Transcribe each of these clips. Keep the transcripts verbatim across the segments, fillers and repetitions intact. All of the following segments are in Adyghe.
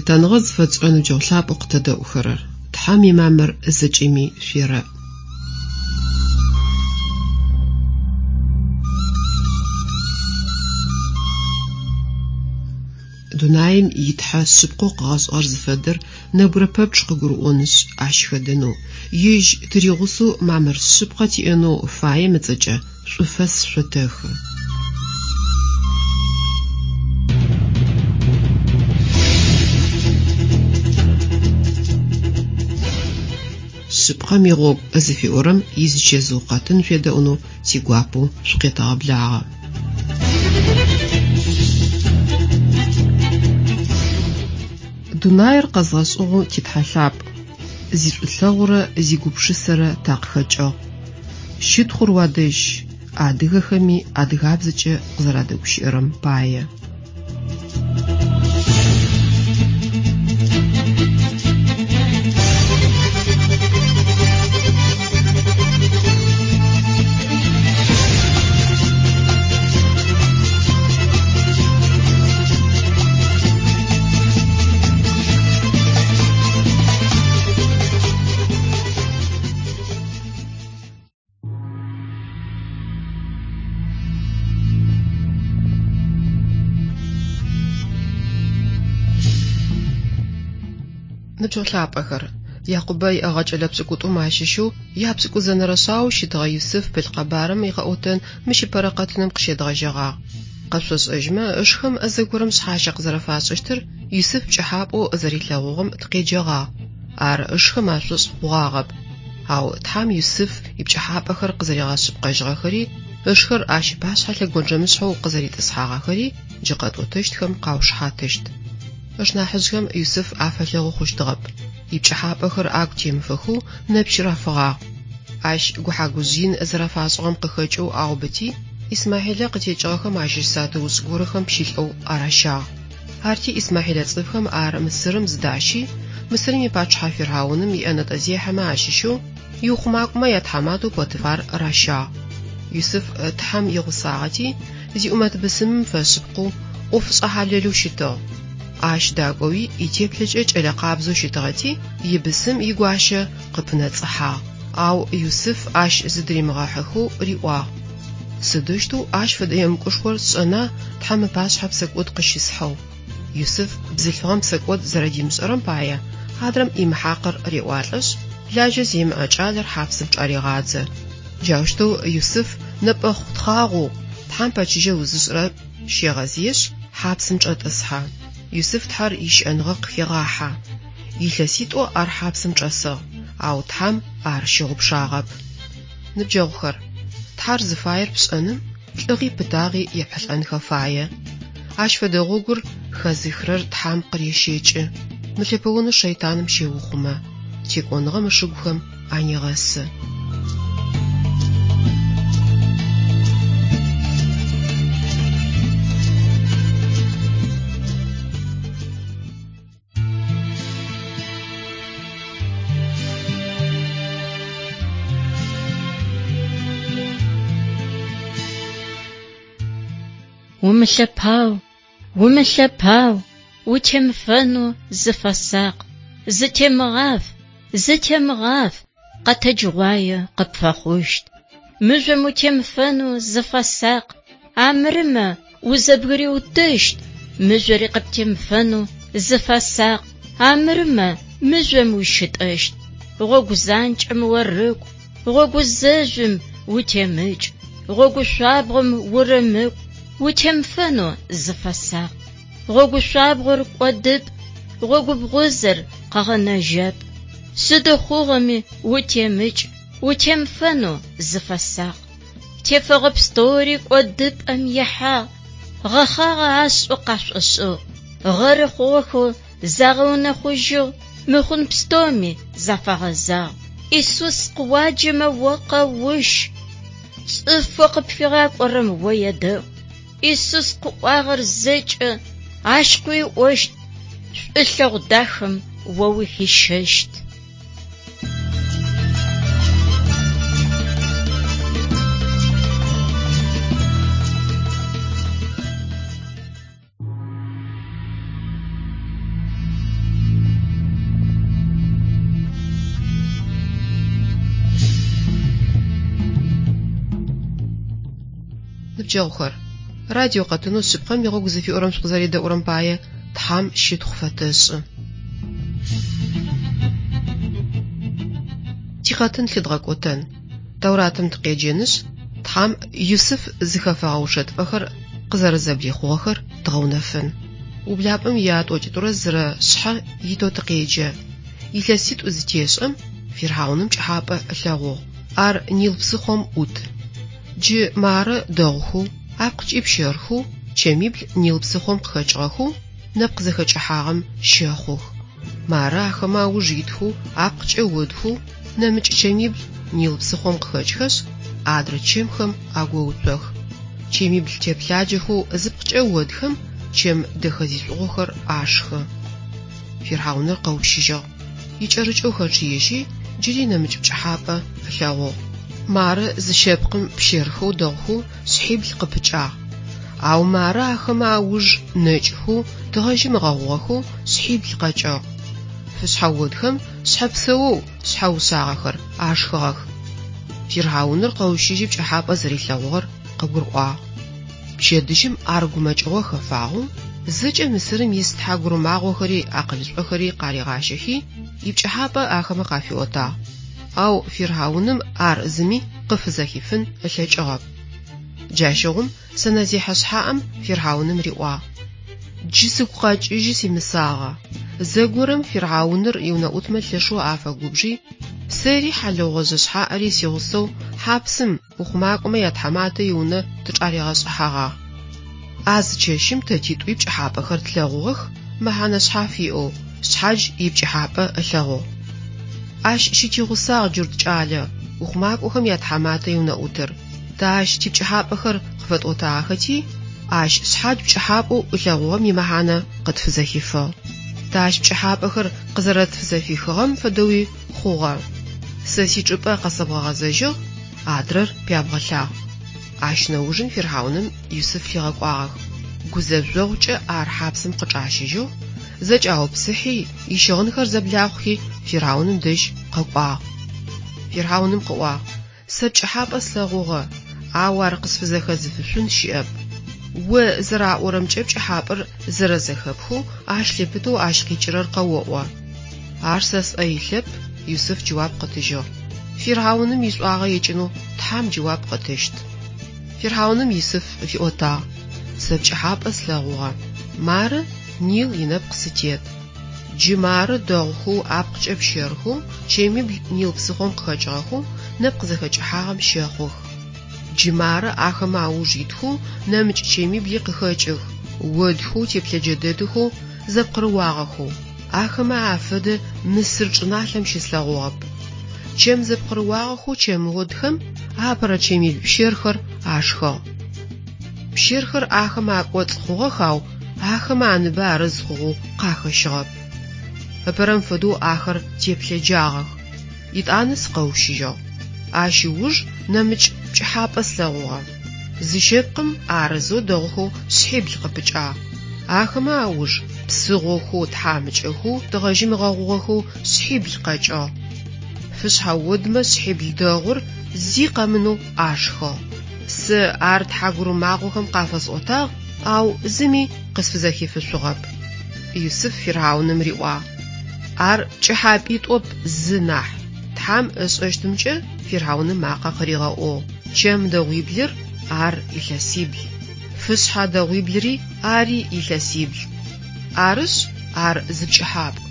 Лъытэныгъэ зыфэтшӏырэ ныбджэгъу лъапӏэу къытэдэӏухэрэр, Тхьэм имамыр зэкӏэми шъуерэӏ. Дунаим итхьэ шъыпкъэу къыгъэшӏыгъэр зыфэдэр нэбгырэ пэпчъ къыгурыӏонышъ, ащ хэдэнэу, ежь тыригъусэу мамыр шъыпкъэ тиӏэнэу фаем ыцӏэкӏэ шӏуфэс шъотэхы. Шъыпкъэм игъогу зыфиӏорэм изычэзыу къэтын шъуедэӏунэу тигуапэу шъукъетэгъэблагъэ. Дунаир къэзгъэшӏыгъэу титхьэ лъапӏ, зишӏулъэгъурэ зигупшысэрэ такъыхэкӏыгъ. Щытхъур уадэжь, адыгэхэми адыгабзэкӏэ къызэрадэгущыӏэрэм пае. Ныбджэгъу лъапӏэхэр, Якъубэ иӏэгъэ кӏэлэ пшӏыкӏутӏум ащыщэу япшӏыкӏузэнэрэ шъаоу щытыгъэ Юсыф пылъ къэбарым икъэӏотэн мыщ ыпэрэ къэтыным къыщедгъэжьэгъагъ. Къэшъошӏэжьмэ, ышхэм зэгорэм шъхьащэ къызэрэфашӏыщтыр Юсыф пкӏыхьапӏэу зэрилъэгъугъэм тыкъеджэгъагъ. Ар ышхэм ашӏошӏ хъугъагъэп. Ау Тхьэм Юсыф ипкӏыхьапӏэхэр къызэригъэшъыпкъэжьыгъэхэри, ышхэр ащ ыпашъхьэ лъэгонджэмышъхьэу къызэритӏысхьагъэхэри джы къэтӏотэщтхэм къаушыхьатыщт. Ышнахьыжъхэм Юсыф афэлъэгъу хъущтыгъэп. Ипкӏыхьапӏэхэр агу темыфэхэу нэпч рафыгъагъ. Ащ гухьагужъ ин зэрэфашӏыгъэм къыхэкӏэу аубыти, Исмахьилэ къытекӏыгъэхэм ащыщ сатыушӏ горэхэм пщылӏэу аращагъ. Арти Исмахьилэ цӏыфхэм ар Мысырым зыдащи, Мысырым ипачъыхьэ Фирхьауным иӏэнэтӏэзехьэмэ ащыщэу иухъумакӏомэ ятхьаматэу Потифар ращагъ. Юсыф Тхьэм игъусагъэти, зиӏумэт бысымым фэшъыпкъэу, ӏофышӏэ хьалэлэу щытыгъ. Ащ дакӏоуи итеплъэкӏэ кӏэлэ къабзэу щытыгъэти, ибысым игуащэ къыпынэцӏыхьагъ. Ау Юсыф ащ зыдыримыгъэхьыхэу риӏуагъ: Сыдэущтэу ащ фэдэ емыкӏушхор сшӏэна Тхьэм ыпашъхьэ псэкӏод къыщысхьэу? Юсыф бзылъфыгъэм псэкӏод зэрэдимышӏэрэм пае адрэм имыхьакъыр реӏуалӏэшъ, лажьэ зимыӏэ кӏалэр хьапсым чӏарегъадзэ. Джаущтэу Юсыф нэпӏэхъу тхъагъоу Тхьэм пэчыжьэ узышӏырэ щегъэзыешъ, хьапсым чӏэтӏысхьэ. Юсыф Тхьэр ищыӏэныгъэ къыхегъахьэ. Илъэситӏо ар хьапсым чӏэсыгъ, ау Тхьэм ар щыгъупшагъэп. Ныбджэгъухэр, Тхьэр зыфаер пшӏэным лӏыгъи пытагъи епхьылӏэнхэ фае. Ащ фэдэ гъогур хэзыхырэр Тхьэм къырещэкӏы, мылъэпэонэу шэйтаным щеухъумэ, текӏоныгъэм ышыгухэм анегъэсы. Умылъэпау, умылъэпау, утемыфэнэу зыфэсакъ, зытемыгъаф, зытемыгъаф, къэтэджыгъуае къыпфэхъущт. Мыжъом утемыфэнэу зыфэсакъ, амырымэ узэбгыриутыщт. Мыжъори къыптемыфэнэу зыфэсакъ, амырымэ мыжъом ущытӏэщт. Гъогу занкӏэм орыкӏу, гъогу зэжъум утемыкӏ, гъогу шъуабгъом урымыкӏу, утемыфэнэу зыфэсакъ. Гъогу шъуабгъор кӏодыпӏ, гъогу бгъузэр къэгъэнэжьэп. Сыд хъугъэми утемыкӏ, утемыфэнэу зыфэсакъ. Тефэгъэ пстэури кӏодыпӏэм ихьагъ, гъэхъагъэ ашӏэу къашӏошӏыгъ, гъэры хъугъэхэу загъэунэхъужьыгъ, мыхъун пстэуми зафагъэзагъ. Исус къыуаджэмэ о къэущ, цӏыфэу къыпфигъакӏорэм о едэӏу. Исус къыӏуагъэр зэкӏэ ащ къыуиӏощт, шӏулъэгъу дахэм о ухищэщт. Ныбджэгъухэр, радио къэтынэу шъыпкъэм игъогу зыфиӏорэм шъукъызэредэӏурэм пае Тхьам щытхъу фэтэшӏы. Тикъэтын лъыдгъэкӏотэн. Тауратым тыкъеджэнышъ, Тхьам Юсыф зыхэфэгъэ ушэтыпӏэхэр къызэрэзэблихъугъэхэр дгъэунэфын. Ублапӏэм ятӏокӏитӏурэ зырэ шъхьэ итэу тыкъеджэ. Илъэситӏу зытешӏэм фирхьауным пкӏыхьапӏэ ылъэгъугъ. Ар Нил псыхъом ӏут. Джы мары дэгъухэу, апкъыкӏи пщэрхэу, чэмибл Нил псыхъом къыхэкӏыгъэхэу, нэпкъ зэхэкӏыхьагъэм щэхъух. Мары ахэмэ ауж итхэу, апкъыкӏэ одхэу, нэмыкӏ чэмибл Нил псыхъом къыхэкӏхэшъ, адрэ чэмхэм агоуцох. Чэмибл теплъаджэхэу зыпкъыкӏэ одхэм чэм дэхэ зишӏугъохэр ашхы. Фирхьауныр къэущыжьыгъ. Икӏэрыкӏэу хэчъыежьи, джыри нэмыкӏ пкӏыхьапӏэ ылъэгъугъ. Мары зы щэпкъым пщэрхэу дэгъухэу шъхьибл къыпыкӏагъ. Ау мары ахэмэ ауж нэкӏхэу, тыгъэжьым ыгъэгъугъэхэу шъхьибл къэкӏыгъ. Фышъхьэ одхэм шъхьэ псэоу шъхьэ ушъагъэхэр ашхыгъэх. Фирхьауныр къэущыжьи пкӏыхьапӏэ зэрилъэгъугъэр къыгурыӏуагъ. Пчэдыжьым ар гумэкӏыгъо хэфагъэу, зэкӏэ Мысырым ис тхьагурымагъохэри акъылышӏохэри къаригъащэхи, ипкӏыхьапӏэ ахэмэ къафиӏотагъ. Ау фирхьауным ар зыми къыфызэхифын ылъэкӏыгъэп. Джащыгъум сэнэзехьэ шъхьаӏэм фирхьауным риӏуагъ: Джы сыгу къэкӏыжьы симысагъэ. Зэгорэм фирхьауныр иунэӏутмэ лъэшэу афэгубжи, сэри хьалыгъугъэжъэ шъхьаӏэри сигъусэу хьапсым ухъумакӏомэ ятхьаматэ иунэ тычӏаригъэшӏыхьэгъагъ. А зы чэщым тэ титӏуи пкӏыхьапӏэхэр тлъэгъугъэх, мэхьанэ шъхьаф иӏэу, шъхьадж ипкӏыхьапӏэ ылъэгъугъ. Ащ щытигъусагъ джурт кӏалэ, ухъумакӏохэм ятхьаматэ иунэӏутыр. Тэ ащ типкӏыхьапӏэхэр къыфэтӏотагъэхэти, ащ шъхьадж пкӏыхьапӏэу ылъэгъугъэм имэхьанэ къытфызэхифыгъ. Тэ ащ пкӏыхьапӏэхэр къызэрэтфызэфихыгъэм фэдэуи хъугъэ. Сэ сичӏыпӏэ къэсэбгъэгъэзэжьыгъ, адрэр пябгъэлъагъ. Ащ нэужым фирхьауным Юсыф лъигъэкӏуагъэх. Гузэжъогъукӏэ ар хьапсым къычӏащыжьыгъ, зэкӏаупсыхьи, ищыгъынхэр зэблахъухи, фирхьауным дэжь къэкӏуагъ. Фирхьауным къыӏуагъ: Сэ пкӏыхьапӏэ слъэгъугъэ, ау ар къысфызэхэзыфышъун щыӏэп. О зэраӏорэмкӏэ пкӏыхьапӏэр зэрэзэхэпхэу, ащ лъыпытэу ащ къикӏырэр къэоӏо. Ар сэ сӏэ илъэп, Юсыф джэуап къытыжьыгъ. Фирхьауным ишӏуагъэ екӏынэу Тхьам джэуап къытыщт. Фирхьауным Юсыф фиӏотагъ: Сэ пкӏыхьапӏэ слъэгъугъэ. Мары Нил инэпкъ сытет. Джы мары дэгъухэу, апкъыкӏэ пщэрхэу, чэмибл Нил псыхъом къыхэкӏыгъэхэу, нэпкъ зэхэкӏыхьагъэм щэхъух. Джы мары ахэмэ ауж итхэу, нэмыкӏ чэмибли къыхэкӏых, одхэу, теплъэджэ дэдэхэу, зэпкъырыуагъэхэу. Ахэмэ афэдэ Мысыр чӏыналъэм щыслъэгъугъэп. Чэм зэпкъырыуагъэхэу чэмодхэм апэрэ чэмибл пщэрхэр ашхыгъ. Пщэрхэр ахэмэ акӏоцӏ хъугъэх, ау ахэмэ аныбэ арыз хъугъэу къахэщыгъэп. Ыпэрэм фэдэу ахэр теплъэджагъэх. Итӏанэ сыкъэущыжьыгъ. Ащ ыуж нэмыкӏ пкӏыхьапӏэ слъэгъугъэ. Зы щэпкъым арызэу дэгъухэу шъхьибл къыпыкӏагъ. Ахэмэ ауж псыгъохэу, тхьамыкӏэхэу, тыгъэжьым ыгъэгъугъэхэу шъхьибл къэкӏыгъ. Фышъхьэ одмэ шъхьибл дэгъур зи къэмынэу ашхыгъ. Сэ ар тхьагурымагъохэм къафэсӏотагъ, ау зыми къысфызэхифышъугъэп. Юсыф фирхьауным риӏуагъ: Ар пкӏыхьапӏитӏоп зы нахь. Тхьам ышӏэщтымкӏэ фирхьауным макъэ къыригъэӏугъ: Чэм дэгъуиблыр ар илъэсибл. Фышъхьэ дэгъуиблыри ари илъэсибл. Арышъ, ар зы пкӏыхьапӏ.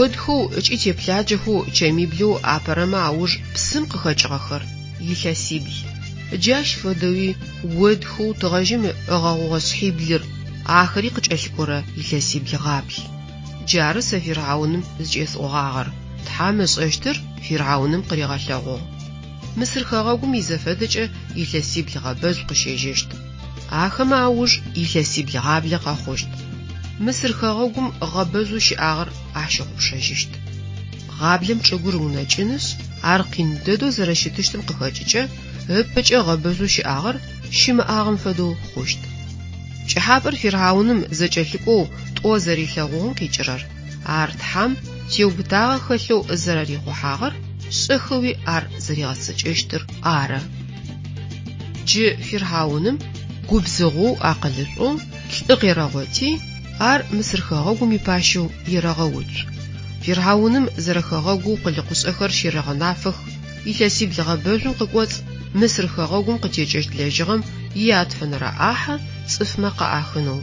Одхэу ыкӏи теплъаджэхэу чэмиблэу апэрэмэ ауж псым къыхэкӏыгъэхэр илъэсибл. Джащ фэдэуи одхэу тыгъэжьым ыгъэгъугъэ шъхьиблыр, ахэри къыкӏэлъыкӏорэ илъэсибл гъабл. Джары сэ фирхьауным зыкӏесӏогъагъэр. Тхьам ышӏэщтыр фирхьауным къыригъэлъэгъугъ. Мысыр хэгъэгум изэфэдэкӏэ илъэсибл гъэбэжъу къыщежьэщт. Ахэмэ ауж илъэсибл гъаблэ къэхъущт. Мысыр хэгъэгум гъэбэжъу щыӏагъэр ащыгъупшэжьыщт. Гъаблэм чӏыгур ыунэкӏынышъ, ар къин дэдэу зэрэщытыщтым къыхэкӏыкӏэ, ыпэкӏэ гъэбэжъу щыӏагъэр щымыӏагъэм фэдэу хъущт. Пкӏыхьапӏэр фирхьауным зэкӏэлъыкӏоу тӏо зэрилъэгъугъэм къикӏырэр, ар Тхьам теубытагъэ хэлъэу зэрэрихъухьагъэр, шӏэхэуи ар зэригъэцэкӏэщтыр ары. Джы фирхьауным Губзыгъэу, акъылышӏоу лӏы къерэгъоти, ар Мысыр хэгъэгум ипащэу ерэгъэуцу. Фирхьауным зэрэхэгъэгоу къулыкъушӏэхэр щерэгъэнафэх. Илъэсибл гъэбэжъум къыкӏоцӏ Мысыр хэгъэгум къытекӏэщт лэжьыгъэм иятфэнэрэ ӏахьэ цӏыфмэ къаӏахынэу.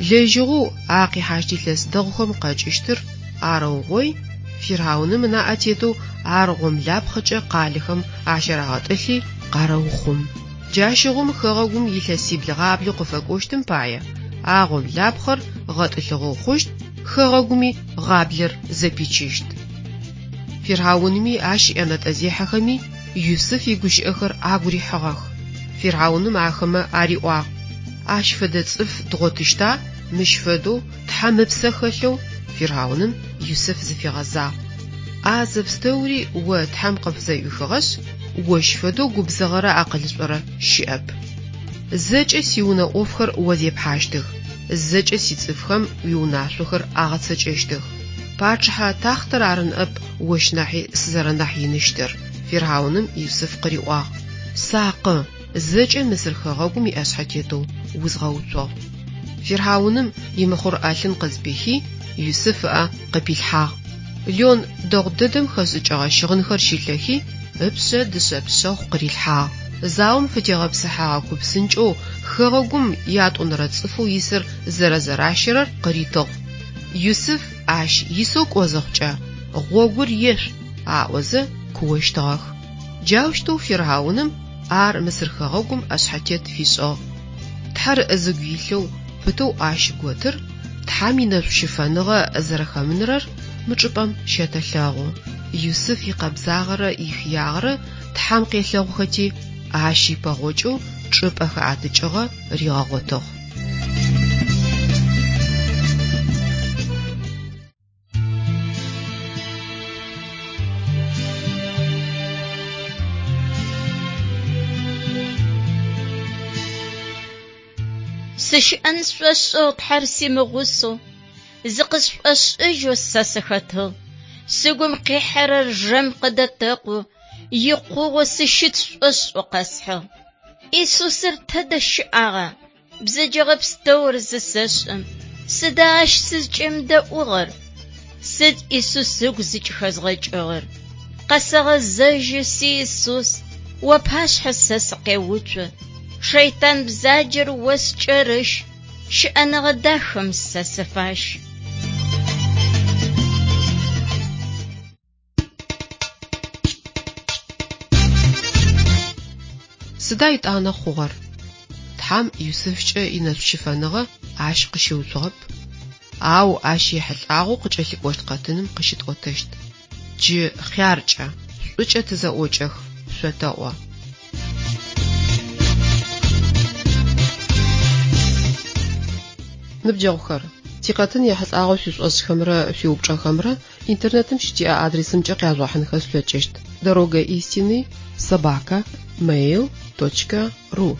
Лэжьыгъэу а къихьащт илъэс дэгъухэм къэкӏыщтыр арэугъой, Фирхьауным ынаӏэ тетэу ар гъомлапхъэкӏэ къалэхэм ащарагъэтӏылъи къарэухъум. Джащыгъум хэгъэгум илъэсибл гъаблэу къыфэкӏощтым пае а гъомлапхъэр гъэтӏылъыгъэу хъущт, хэгъэгуми гъаблэр зэпичыщт. Фирхьаунми ащ иӏэнэтӏэзехьэхэми Юсыф игущыӏэхэр агу рихьыгъэх. Фирхьауным ахэмэ ариӏуагъ: Ащ фэдэ цӏыф дгъотыщта, мыщ фэдэу Тхьэм ыпсэ хэлъэу? Фирхьауным Юсыф зыфигъэзагъ: А зэпстэури о Тхьэм къыпфызэӏуихыгъэшъ, ощ фэдэу губзыгъэрэ акъылышӏорэ щыӏэп. Зэкӏэ сиунэ ӏофхэр о зепхьащтых, зэкӏэ сицӏыфхэм уиунашъохэр агъэцэкӏэщтых. Пачъыхьэ тахътэр ары ныӏэп ощ нахьи сызэрэнахь иныщтыр. Фирхьауным Юсыф къыриӏуагъ: Сакъы, зэкӏэ Мысыр хэгъэгум иӏэшъхьэтетэу узгъэуцугъ. Фирхьауным имыхъур ӏэлъын къызпихи, Юсыф ыӏэ къыпилъхьагъ. Лен дэгъу дэдэм хэшӏыкӏыгъэ щыгъынхэр щилъэхи, ыпшъэ дышъэ пшъэхъу къырилъхьагъ. Заом фытегъэпсыхьагъэ ку псынкӏэу хэгъэгум ятӏонэрэ цӏыфэу исыр зэрэзэращэрэр къыритыгъ. Юсыф ащ исэу кӏо зыхъукӏэ, гъогур ешӏу аӏозэ куощтыгъэх. Джаущтэу Фирхьауным ар Мысыр хэгъэгум ӏэшъхьэтет фишӏыгъ. Тхьэр зыгу илъэу пытэу ащ готыр Тхьэм инэшӏу-щыфэныгъэ зэрэхэмынырэр мы чӏыпӏэм щэтэлъэгъу. Юсыф икъэбзагъэрэ ихыягъэрэ Тхьэм къелъэгъухэти, ащ ипэгъокӏэу чӏыпӏэ хэӏэтыкӏыгъэ ригъэгъотыгъ. Сыщыӏэн сшӏошӏыгъ Тхьэр симыгъусэу, зыкъысшӏошӏыжьэу сэ сыхэтыгъ. Сыгум къихьэрэр жэм къыдэтэкъу, икъугъэу сыщыт сшӏошӏэу къэсхьыгъ. Исусыр тэдэ щыӏагъа? Бзэджэгъэ пстэур зысэшӏым, сыда ащ сызкӏемыдэӏугъэр? Сыд Исус ыгу зыкӏыхэзгъэкӏыгъэр? Къэсэгъэзэжьы си Исус, уапашъхьэ сэ сыкъеуцу. Шэйтан бзаджэр о скӏэрыщ, щыӏэныгъэ дахэм сэ сыфащ. Сыда итӏанэ хъугъэр? Тхьэм Юсыфкӏэ инэшӏу-щыфэныгъэ ащ къыщыуцугъэп. Ау ащ ехьылӏагъэу къыкӏэлъыкӏощт къэтыным къыщытӏотэщт. Джы хъяркӏэ, шӏукӏэ тызэӏокӏэх, шъотэӏо. Ныбджэгъухэр, тикъэтын ехьылӏагъэу шъуишӏошӏхэмрэ шъуиупчӏэхэмрэ интернетым щытиӏэ адресымкӏэ къяжъугъэхьынхэ шъулъэкӏыщт: дорога истины собака mail точка ру.